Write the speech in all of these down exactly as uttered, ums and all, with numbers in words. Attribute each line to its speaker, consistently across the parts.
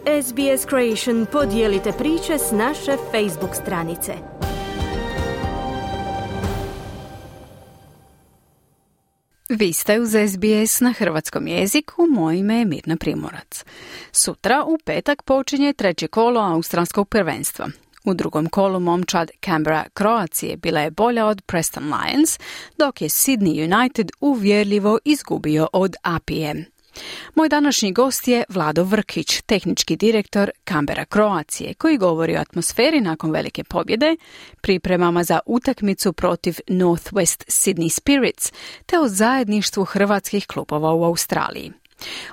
Speaker 1: S B S Creation podijelite priče s naše Facebook stranice.
Speaker 2: Vi ste uz S B S na hrvatskom jeziku, moje ime je Mirna Primorac. Sutra u petak počinje treće kolo australskog prvenstva. U drugom kolu momčad Canberra Croacije bila je bolja od Preston Lions, dok je Sydney United uvjerljivo izgubio od A P M. Moj današnji gost je Vlado Vrkić, tehnički direktor Canberra Croacije, koji govori o atmosferi nakon velike pobjede, pripremama za utakmicu protiv North West Sydney Spirits, te o zajedništvu hrvatskih klubova u Australiji.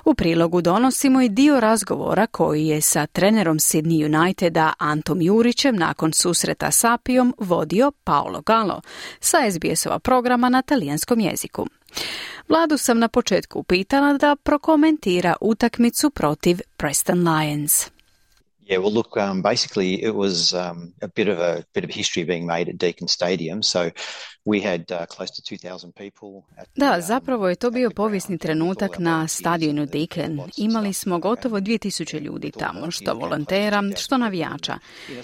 Speaker 2: U prilogu donosimo i dio razgovora koji je sa trenerom Sydney Uniteda Antom Jurićem nakon susreta s Apijom vodio Paolo Gallo sa S B S-ova programa na talijanskom jeziku. Vladu sam na početku upitala da prokomentira utakmicu protiv Preston Lions.
Speaker 3: Yeah, well, look, um, basically it was um, a bit of a bit of history being made at Deakin Stadium. So we had uh, close to two thousand people. At the,
Speaker 2: Da,
Speaker 3: um,
Speaker 2: zapravo je to bio povijesni trenutak na stadionu Deakin. Imali smo gotovo dvije tisuće ljudi tamo, što volontera, što navijača.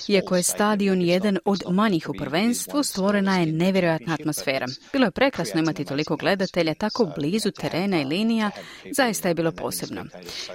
Speaker 2: Iako je stadion jedan od manjih u prvenstvu, stvorena je nevjerojatna atmosfera. Bilo je prekrasno imati toliko gledatelja tako blizu terena i linija, zaista je bilo posebno.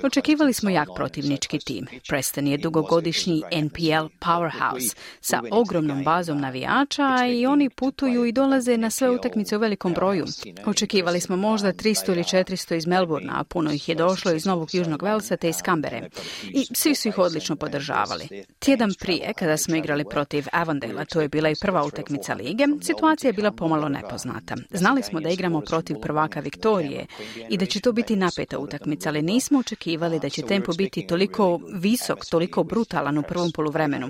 Speaker 2: Očekivali smo jak protivnički tim. Preston je dugogodišnji N P L powerhouse sa ogromnom bazom navijača i oni putuju i dolaze na sve utakmice u velikom broju. Očekivali smo možda tristo ili četiristo iz Melbournea, a puno ih je došlo iz Novog Južnog Velsa te iz Canberre. I svi su ih odlično podržavali. Tjedan prije, kada smo igrali protiv Avondale, to je bila i prva utakmica lige, situacija je bila pomalo nepoznata. Znali smo da igramo protiv prvaka Viktorije i da će to biti napeta utakmica, ali nismo očekivali da će tempo biti toliko visok, toliko brutalan u prvom poluvremenu.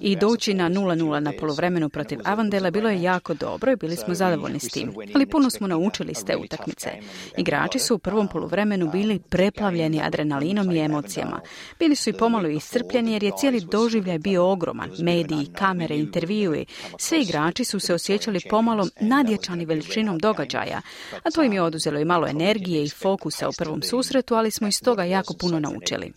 Speaker 2: I doći na nula nula na poluvremenu protiv Avondale bilo je jako dobro i bili smo zadovoljni s tim. Ali puno smo naučili s te utakmice. Igrači su u prvom poluvremenu bili preplavljeni adrenalinom i emocijama. Bili su i pomalo iscrpljeni jer je cijeli doživljaj bio ogroman. Mediji, kamere, intervjui. Svi igrači su se osjećali pomalo nadjačani veličinom događaja. A to im je oduzelo i malo energije i fokusa u prvom susretu, ali smo iz toga jako puno naučili.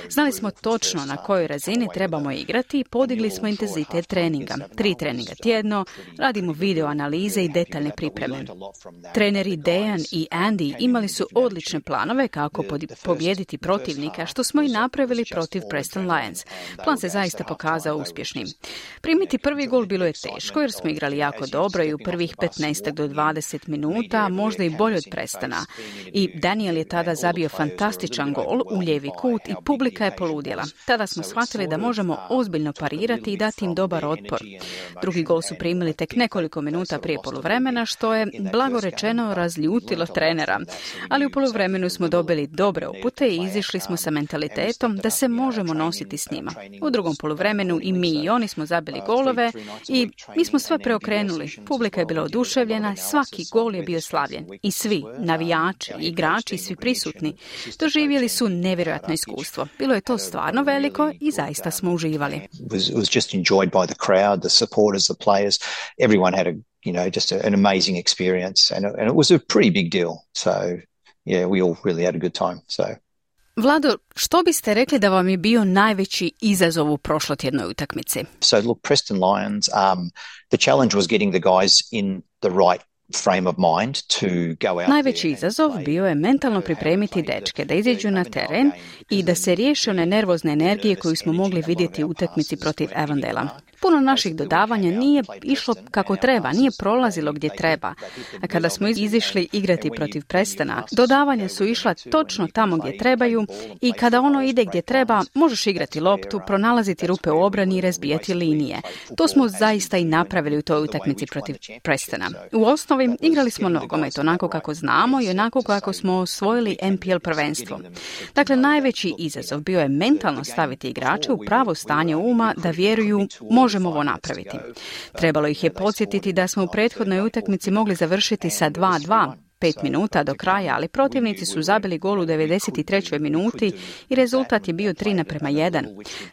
Speaker 2: Znali smo točno na kojoj razini trebamo igrati i podigli smo intenzitet treninga. Tri treninga tjedno, radimo video analize i detaljne pripreme. Treneri Dejan i Andy imali su odlične planove kako pobijediti protivnika, što smo i napravili protiv Preston Lions. Plan se zaista pokazao uspješnim. Primiti prvi gol bilo je teško jer smo igrali jako dobro i u prvih petnaest do dvadeset minuta, možda i bolje od Prestona. I Daniel je tada zabio fantastičan gol u lijevi kut i publika je poludjela. Tada smo shvatili da možemo ozbiljno parirati i dati im dobar otpor. Drugi gol su primili tek nekoliko minuta prije poluvremena, što je, blago rečeno, razljutilo trenera. Ali u poluvremenu smo dobili dobre upute i izišli smo sa mentalitetom da se možemo nositi s njima. U drugom poluvremenu i mi i oni smo zabili golove i mi smo sve preokrenuli. Publika je bila oduševljena, svaki gol je bio slavljen. I svi, navijači, igrači, svi prisutni, doživjeli su nevjerojatno iskustvo. Bilo je to stvarno veliko i zaista smo uživali.
Speaker 3: It was, it was just enjoyed by the crowd, the supporters, the players. Everyone had a, you know, just a, an amazing experience, and, and it was a pretty big deal. So, yeah, we all really had a good time. So.
Speaker 2: Vlado, što biste rekli da vam je bio najveći izazov u prošlotjednoj utakmici?
Speaker 3: So, look, Preston Lions, um, the challenge was getting the guys in the right frame of mind to go out.
Speaker 2: Najveći izazov bio je mentalno pripremiti dečke da izađu na teren i da se riješe one nervozne energije koju smo mogli vidjeti u utakmici protiv Avondale. Puno naših dodavanja nije išlo kako treba, nije prolazilo gdje treba. A kada smo izišli igrati protiv Prestona, dodavanja su išla točno tamo gdje trebaju i kada ono ide gdje treba, možeš igrati loptu, pronalaziti rupe u obrani i razbijati linije. To smo zaista i napravili u toj utakmici protiv Prestona. U osnovi igrali smo nogomet onako kako znamo i onako kako smo osvojili N P L prvenstvo. Dakle, najveći izazov bio je mentalno staviti igrače u pravo stanje uma da vjeruju možemo ovo napraviti. Trebalo ih je podsjetiti da smo u prethodnoj utakmici mogli završiti sa dva dva, pet minuta do kraja, ali protivnici su zabili gol u devedeset trećoj minuti i rezultat je bio tri naprema jedan.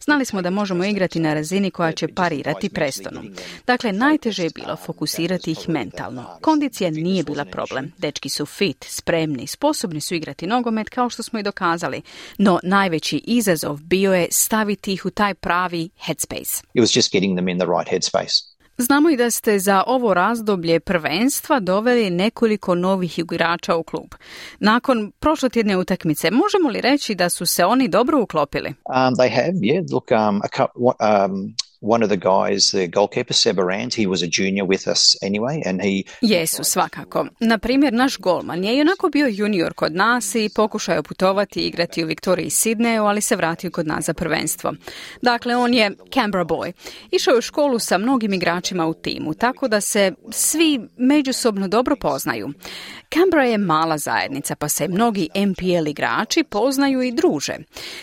Speaker 2: Znali smo da možemo igrati na razini koja će parirati Prestonu. Dakle, najteže je bilo fokusirati ih mentalno. Kondicija nije bila problem. Dečki su fit, spremni, sposobni su igrati nogomet kao što smo i dokazali. No najveći izazov bio je staviti ih u taj pravi headspace.
Speaker 3: It was just getting them in the right headspace.
Speaker 2: Znamo i da ste za ovo razdoblje prvenstva doveli nekoliko novih igrača u klub. Nakon prošlotjedne utakmice, možemo li reći da su se oni dobro uklopili?
Speaker 3: Um, they have, yeah. Look, um, a couple, um, one of the guys, the goalkeeper, Seb Arand, he was a junior with us anyway, and he...
Speaker 2: Jesu, svakako. Na primjer, naš golman je onako bio junior kod nas i pokušao putovati i igrati u Viktoriji i Sidneju, ali se vratio kod nas za prvenstvo. Dakle, on je Canberra boy. Išao je u školu sa mnogim igračima u timu, tako da se svi međusobno dobro poznaju. Canberra je mala zajednica, pa se mnogi N P L igrači poznaju i druže.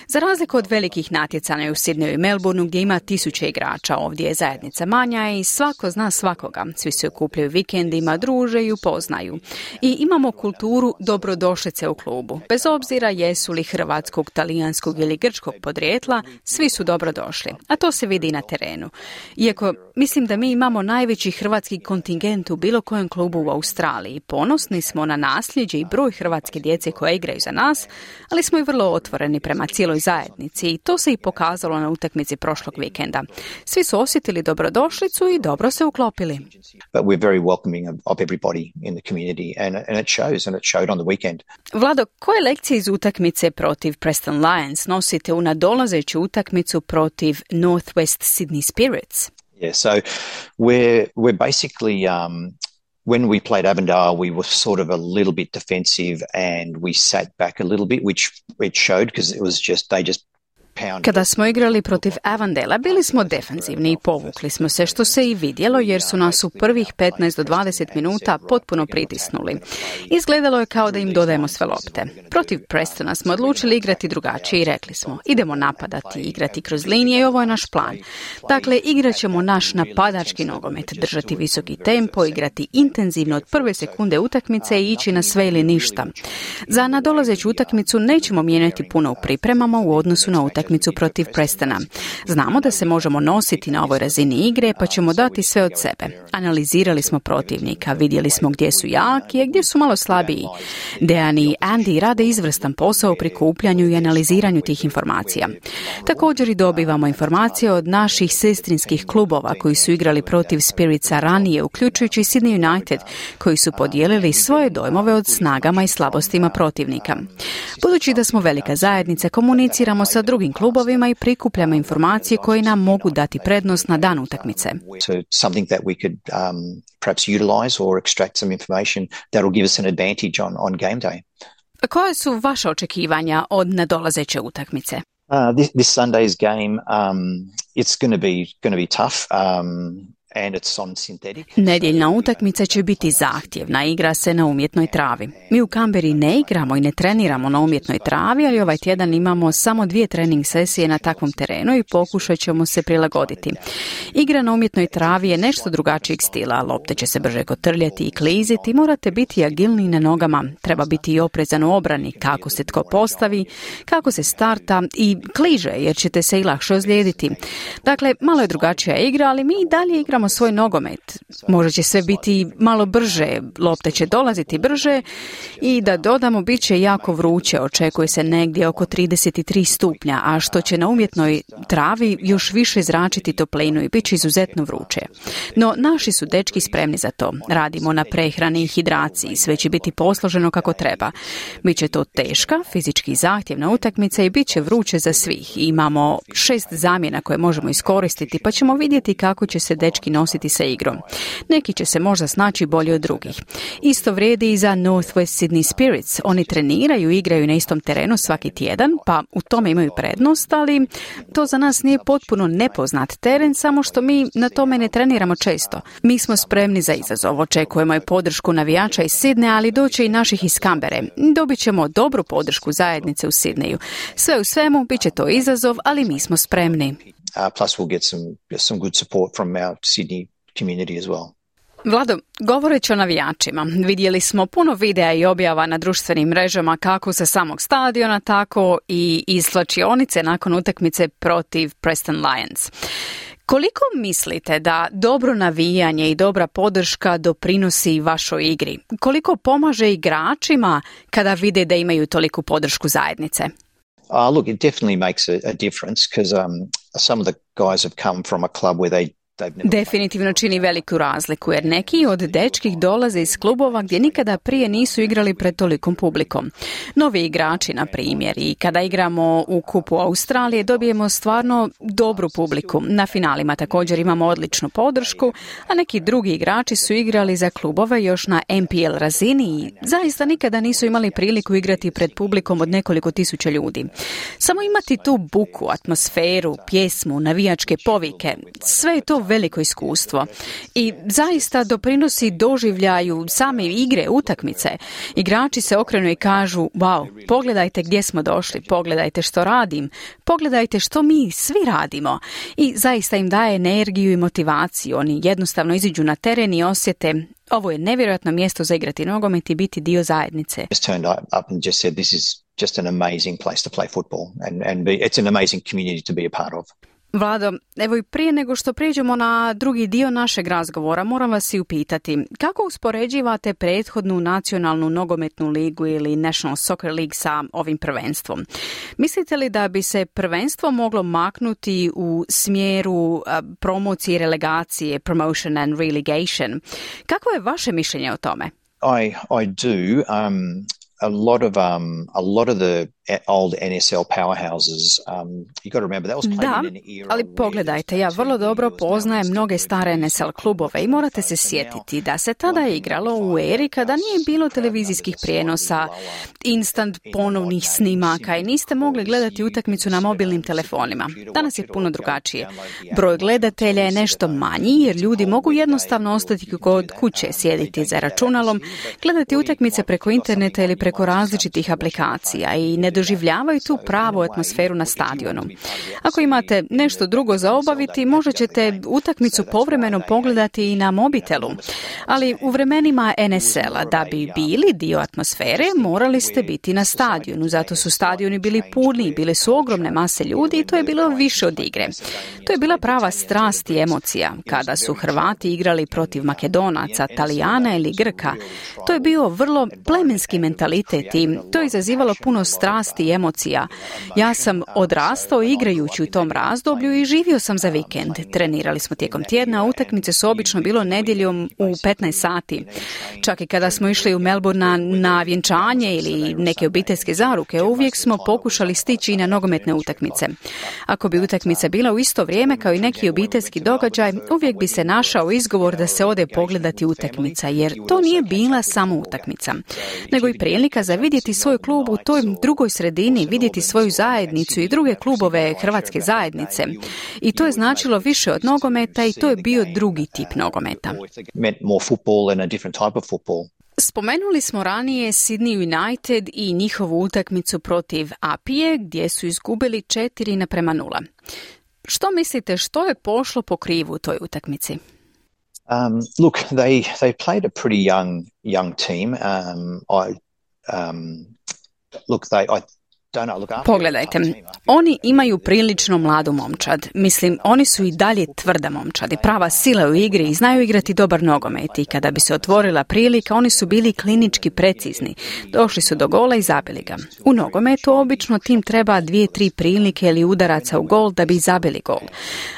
Speaker 2: Za razliku od velikih natjecanja u Sidneju i Melbourneu gdje ima tisuće igrača, ovdje je zajednica manja i svako zna svakoga. Svi se okupljaju vikendima, druže i upoznaju. I imamo kulturu dobrodošlice u klubu. Bez obzira jesu li hrvatskog, talijanskog ili grčkog podrijetla, svi su dobrodošli. A to se vidi i na terenu. Iako mislim da mi imamo najveći hrvatski kontingent u bilo kojem klubu u Australiji. Ponosni smo na nasljeđe i broj hrvatske djece koje igraju za nas, ali smo i vrlo otvoreni prema cijeloj zajednici i to se i pokazalo na utakmici prošlog vikenda. Svi su osjetili dobrodošlicu i dobro se uklopili.
Speaker 3: But we're very welcoming of everybody in the community and, and it shows and it showed on the weekend.
Speaker 2: Vlado, koje lekcije iz utakmice protiv Preston Lions nosite u nadolazeću utakmicu protiv Northwest Sydney Spirits?
Speaker 3: Yeah, so we're we're basically um when we played Avondale, we were sort of a little bit defensive and we sat back a little bit, which it showed because it was just they just
Speaker 2: Kada smo igrali protiv Avondela, bili smo defenzivni i povukli smo se, što se i vidjelo jer su nas u prvih petnaest do dvadeset minuta potpuno pritisnuli. Izgledalo je kao da im dodajemo sve lopte. Protiv Prestona smo odlučili igrati drugačije i rekli smo, idemo napadati, igrati kroz linije i ovo je naš plan. Dakle, igrat ćemo naš napadački nogomet, držati visoki tempo, igrati intenzivno od prve sekunde utakmice i ići na sve ili ništa. Za nadolazeću utakmicu nećemo mijenjati puno u pripremama u odnosu na utakmicu utakmicu protiv Prestona. Znamo da se možemo nositi na ovoj razini igre, pa ćemo dati sve od sebe. Analizirali smo protivnika, vidjeli smo gdje su jaki, a gdje su malo slabiji. Dejan i Andy rade izvrstan posao u prikupljanju i analiziranju tih informacija. Također i dobivamo informacije od naših sestrinskih klubova koji su igrali protiv Spiritsa ranije, uključujući Sydney United, koji su podijelili svoje dojmove od snagama i slabostima protivnika. Budući da smo velika zajednica, komuniciramo sa drugim klubovima i prikupljamo informacije koje nam mogu dati prednost na dan utakmice.
Speaker 3: So something that we could um, perhaps utilize or extract some information that will give us an advantage on, on game day.
Speaker 2: Koje su vaše očekivanja od nadolazeće utakmice?
Speaker 3: Uh, this, this Sunday's game, um, it's going to be going to be tough. Um, And it's on synthetic.
Speaker 2: Nedjeljna utakmica će biti zahtjevna, igra se na umjetnoj travi. Mi u Canberri ne igramo i ne treniramo na umjetnoj travi, ali ovaj tjedan imamo samo dvije trening sesije na takvom terenu i pokušat ćemo se prilagoditi. Igra na umjetnoj travi je nešto drugačijeg stila, lopte će se brže kotrljati i kliziti, morate biti agilni na nogama, treba biti i oprezan u obrani, kako se tko postavi, kako se starta i kliže, jer ćete se i lakše ozlijediti. Dakle, malo je drugačija igra, ali mi i dalje igramo svoj nogomet. Možda će sve biti malo brže, lopte će dolaziti brže i da dodamo bit će jako vruće, očekuje se negdje oko trideset tri stupnja, a što će na umjetnoj travi još više zračiti toplinu i bit će izuzetno vruće. No, naši su dečki spremni za to. Radimo na prehrani i hidraciji, sve će biti posloženo kako treba. Biće to teška, fizički zahtjevna utakmica i bit će vruće za svih. Imamo šest zamjena koje možemo iskoristiti, pa ćemo vidjeti kako će se dečki nositi sa igrom. Neki će se možda snaći bolje od drugih. Isto vrijedi i za Northwest Sydney Spirits. Oni treniraju i igraju na istom terenu svaki tjedan, pa u tome imaju prednost, ali to za nas nije potpuno nepoznat teren, samo što mi na tome ne treniramo često. Mi smo spremni za izazov, očekujemo i podršku navijača iz Sidneja, ali doće i naših iz Canberre. Dobit ćemo dobru podršku zajednice u Sidneju. Sve u svemu, bit će to izazov, ali mi smo spremni.
Speaker 3: Uh, plus we'll get some some good support from our Sydney community as well.
Speaker 2: Vlado, govoreći o navijačima, vidjeli smo puno videa i objava na društvenim mrežama kako sa samog stadiona, tako i iz slačionice nakon utakmice protiv Preston Lions. Koliko mislite da dobro navijanje i dobra podrška doprinosi vašoj igri? Koliko pomaže igračima kada vide da imaju toliku podršku zajednice?
Speaker 3: Uh, look, it definitely makes a, a difference because um, some of the guys have come from a club where they
Speaker 2: Definitivno čini veliku razliku jer neki od dečkih dolaze iz klubova gdje nikada prije nisu igrali pred tolikom publikom. Novi igrači, na primjer, i kada igramo u Kupu Australije dobijemo stvarno dobru publiku. Na finalima također imamo odličnu podršku, a neki drugi igrači su igrali za klubove još na M P L razini i zaista nikada nisu imali priliku igrati pred publikom od nekoliko tisuća ljudi. Samo imati tu buku, atmosferu, pjesmu, navijačke povike, sve je to veliko iskustvo i zaista doprinosi doživljaju same igre, utakmice. Igrači se okrenu i kažu, wow, pogledajte gdje smo došli, pogledajte što radim, pogledajte što mi svi radimo i zaista im daje energiju i motivaciju. Oni jednostavno iziđu na teren i osjete, ovo je nevjerojatno mjesto za igrati nogomet i biti dio zajednice.
Speaker 3: Just turned up and just said, this is just an amazing place to play football and, and be, it's an amazing community to be a part of.
Speaker 2: Vlado, evo i prije nego što prijeđemo na drugi dio našeg razgovora, moram vas i upitati, kako uspoređivate prethodnu nacionalnu nogometnu ligu ili National Soccer League sa ovim prvenstvom? Mislite li da bi se prvenstvo moglo maknuti u smjeru uh, promocije i relegacije, promotion and relegation? Kako je vaše mišljenje o tome?
Speaker 3: I, I do. Um, a lot of um, a lot of the old N S L powerhouses, um, you got to remember that was played
Speaker 2: da,
Speaker 3: in an era.
Speaker 2: Ali pogledajte, ja vrlo dobro poznajem mnoge stare N S L klubove i morate se sjetiti da se tada igralo u eri kada nije bilo televizijskih prijenosa, instant ponovnih snimaka i niste mogli gledati utakmicu na mobilnim telefonima. Danas je puno drugačije. Broj gledatelja je nešto manji jer ljudi mogu jednostavno ostati kod kuće, sjediti za računalom, gledati utakmice preko interneta ili preko različitih aplikacija i ne doživljavaju tu pravu atmosferu na stadionu. Ako imate nešto drugo za obaviti, možda ćete utakmicu povremeno pogledati i na mobitelu. Ali u vremenima N S L-a da bi bili dio atmosfere, morali ste biti na stadionu. Zato su stadioni bili puni, bile su ogromne mase ljudi i to je bilo više od igre. To je bila prava strast i emocija. Kada su Hrvati igrali protiv Makedonaca, Talijana ili Grka, to je bio vrlo plemenski mentalitet i to je izazivalo puno strasti i emocija. Ja sam odrastao igrajući u tom razdoblju i živio sam za vikend. Trenirali smo tijekom tjedna, a utakmice su obično bilo nedjeljom u petnaest sati. Čak i kada smo išli u Melbourne na vjenčanje ili neke obiteljske zaruke, uvijek smo pokušali stići i na nogometne utakmice. Ako bi utakmica bila u isto vrijeme kao i neki obiteljski događaj, uvijek bi se našao izgovor da se ode pogledati utakmica, jer to nije bila samo utakmica, nego i prilika za vidjeti svoj klub u toj drugoj sredini, vidjeti svoju zajednicu i druge klubove hrvatske zajednice. I to je značilo više od nogometa i to je bio drugi tip nogometa. Spomenuli smo ranije Sydney United i njihovu utakmicu protiv Apije gdje su izgubili četiri naprema nula. Što mislite, što je pošlo po krivu u toj utakmici?
Speaker 3: Um, look, they they played a pretty young young team. Um, I um, look, they I.
Speaker 2: Pogledajte, oni imaju prilično mladu momčad. Mislim, oni su i dalje tvrda momčad i prava sila u igri i znaju igrati dobar nogomet i kada bi se otvorila prilika, oni su bili klinički precizni. Došli su do gola i zabili ga. U nogometu obično tim treba dvije, tri prilike ili udaraca u gol da bi zabili gol.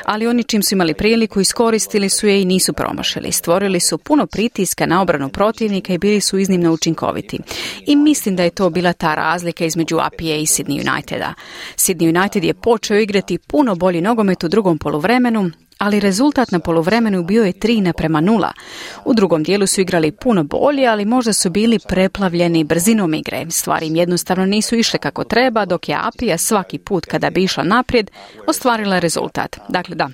Speaker 2: Ali oni čim su imali priliku, iskoristili su je i nisu promašili. Stvorili su puno pritiska na obranu protivnika i bili su iznimno učinkoviti. I mislim da je to bila ta razlika između Apije i Sydney Uniteda. Sydney United je počeo igrati puno bolji nogomet u drugom poluvremenu, ali rezultat na poluvremenu bio je tri naprema nula. U drugom dijelu su igrali puno bolje, ali možda su bili preplavljeni brzinom igre. Stvari im jednostavno nisu išle kako treba, dok je Apija svaki put kada bi išla naprijed ostvarila rezultat. Dakle, da,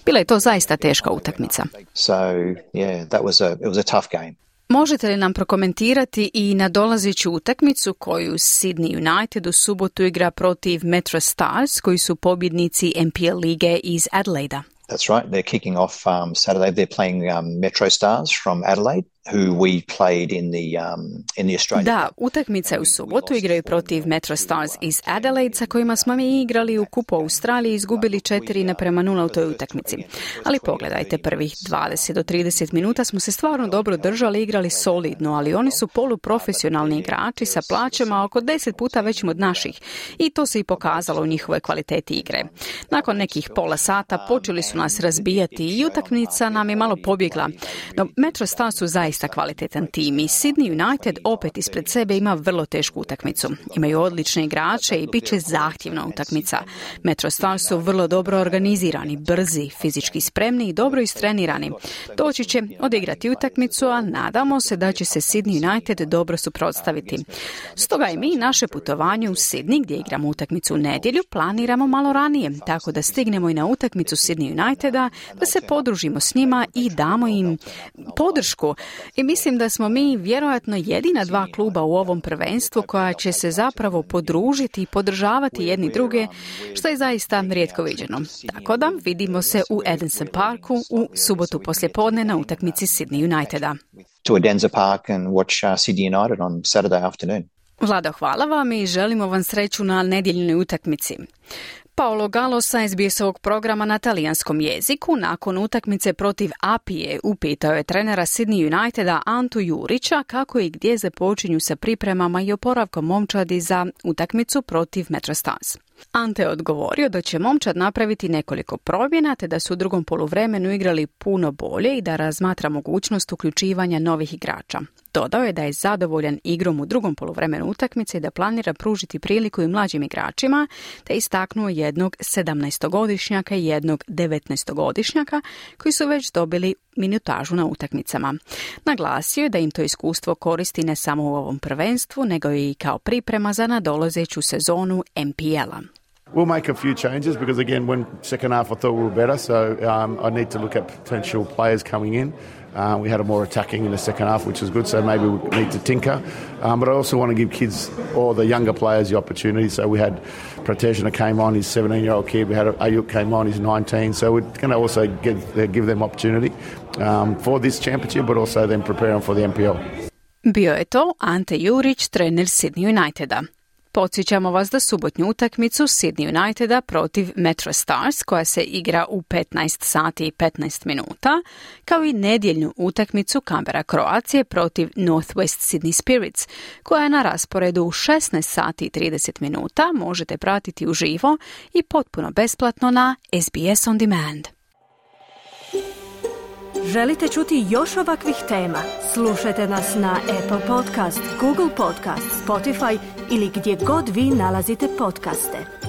Speaker 2: bila je to zaista teška utakmica.
Speaker 3: So, yeah, that was a, it was a tough game.
Speaker 2: Možete li nam prokomentirati i nadolazeću utakmicu koju Sydney United u subotu igra protiv Metro Stars, koji su pobjednici N P L lige iz Adelaida?
Speaker 3: That's right. They're kicking off um, Saturday. They're playing um, Metro Stars from Adelaide, who we played in the um, in the Australian.
Speaker 2: Da, utakmice u subotu igraju protiv Metro Stars iz Adelaide, sa kojima smo mi igrali u kupu Australiji i izgubili četiri naprema nula u toj utakmici. Ali pogledajte, prvih dvadeset do trideset minuta smo se stvarno dobro držali, igrali solidno, ali oni su poluprofesionalni igrači sa plaćama oko deset puta većim od naših i to se i pokazalo u njihovoj kvaliteti igre. Nakon nekih pola sata počeli su nas razbijati i utakmica nam je malo pobjegla. No, Metro Stars su zaista kvalitetan tim i Sydney United opet ispred sebe ima vrlo tešku utakmicu. Imaju odlične igrače i bit će zahtjevna utakmica. Metro Stars su vrlo dobro organizirani, brzi, fizički spremni i dobro istrenirani. Doći će odigrati utakmicu, a nadamo se da će se Sydney United dobro suprotstaviti. Stoga i mi naše putovanje u Sydney, gdje igramo utakmicu u nedjelju, planiramo malo ranije, tako da stignemo i na utakmicu Sydney Uniteda, da se podružimo s njima i damo im podršku. I mislim da smo mi vjerojatno jedina dva kluba u ovom prvenstvu koja će se zapravo podružiti i podržavati jedni druge, što je zaista rijetko viđeno. Tako da vidimo se u Edensor Parku u subotu poslijepodne na utakmici Sydney Uniteda.
Speaker 3: To Edensor Park and watch uh, Sydney United on Saturday afternoon.
Speaker 2: Vlado, hvala vam i želimo vam sreću na nedjeljnoj utakmici. Paolo Gallo sa S B S-ovog programa na talijanskom jeziku nakon utakmice protiv Apije upitao je trenera Sydney Uniteda Antu Jurića kako i gdje započinju sa pripremama i oporavkom momčadi za utakmicu protiv Metro Stars. Ante je odgovorio da će momčad napraviti nekoliko promjena te da su u drugom poluvremenu igrali puno bolje i da razmatra mogućnost uključivanja novih igrača. Dodao je da je zadovoljan igrom u drugom poluvremenu utakmice i da planira pružiti priliku i mlađim igračima, te istaknuo jednog sedamnaestogodišnjaka i jednog devetnaestogodišnjaka koji su već dobili minutažu na utakmicama. Naglasio je da im to iskustvo koristi ne samo u ovom prvenstvu, nego i kao priprema za nadolazeću sezonu N P L-a.
Speaker 4: We'll make a few changes because, again, when second half I thought we were better, so um, I need to look at potential players coming in. Uh, we had a more attacking in the second half, which was good, so maybe we need to tinker. Um, but I also want to give kids, or the younger players, the opportunity. So we had Pratejna came on, he's a seventeen-year-old kid. We had Ayuk came on, he's nineteen. So we're going to also give, uh, give them opportunity um, for this championship, but also then prepare them for the N P L.
Speaker 2: Bio je to Ante Jurić, trener Sydney Uniteda. Podsjećamo vas da subotnju utakmicu Sydney Uniteda protiv Metro Stars, koja se igra u petnaest sati i petnaest minuta, kao i nedjeljnu utakmicu Canberra Kroacije protiv Northwest Sydney Spirits, koja je na rasporedu u šesnaest sati i trideset minuta, možete pratiti uživo i potpuno besplatno na S B S On Demand.
Speaker 1: Želite čuti još ovakvih tema? Slušajte nas na Apple Podcast, Google Podcast, Spotify ili gdje god vi nalazite podcaste.